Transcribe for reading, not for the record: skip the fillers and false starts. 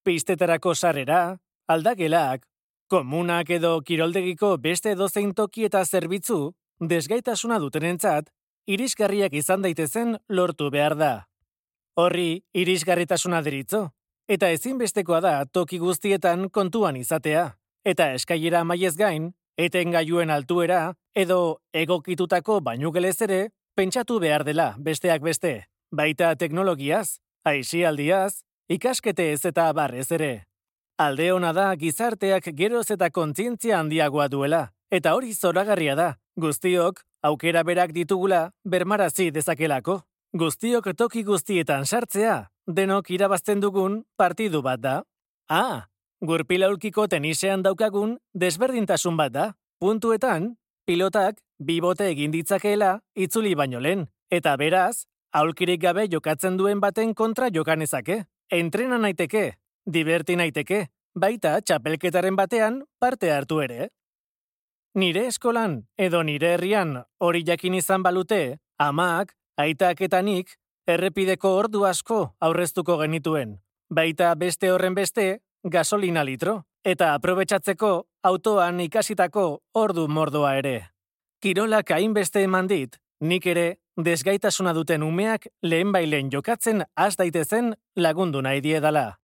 pistetarako sarrera, aldagelak, komunak edo kiroldegiko beste edozein toki eta zerbitzu, desgaitasuna dutenentzat, irisgarriak izan daitezen lortu behar da. Horri irisgarritasuna deritzo, eta ezinbestekoa da toki guztietan kontuan izatea, eta eskailera maiez gain, etengailuen altuera edo egokitutako bainugelez ere pentsatu behar dela besteak beste, baita teknologiaz, aisialdiaz, ikasketez eta barrez ere. Alde ona da gizarteak geroz eta kontzientzia handiagoa duela, eta hori zoragarria da, guztiok aukera berak ditugula bermarazi dezakelako. Guztiok toki guztietan sartzea, denok irabazten dugun partidu bat da. Gurpilaulkiko tenisean daukagun desberdintasun bat da. Puntuetan, pilotak bibote egin ditzakeela itzuli baino lehen, eta beraz, aulkirik gabe jokatzen duen baten kontra jokanezake. Entrena naiteke, diverti naiteke, baita txapelketaren batean parte hartu ere. Nire eskolan edo nire herrian hori jakin izan balute, amak, aitak eta nik, errepideko ordu asko aurreztuko genituen, baita beste horren beste, gasolina litro, eta aprobetxatzeko autoan ikasitako ordu mordoa ere. Kirolak hainbeste eman dit, nik ere desgaitasuna duten umeak lehenbailen jokatzen has daitezen lagundu nahi diedala.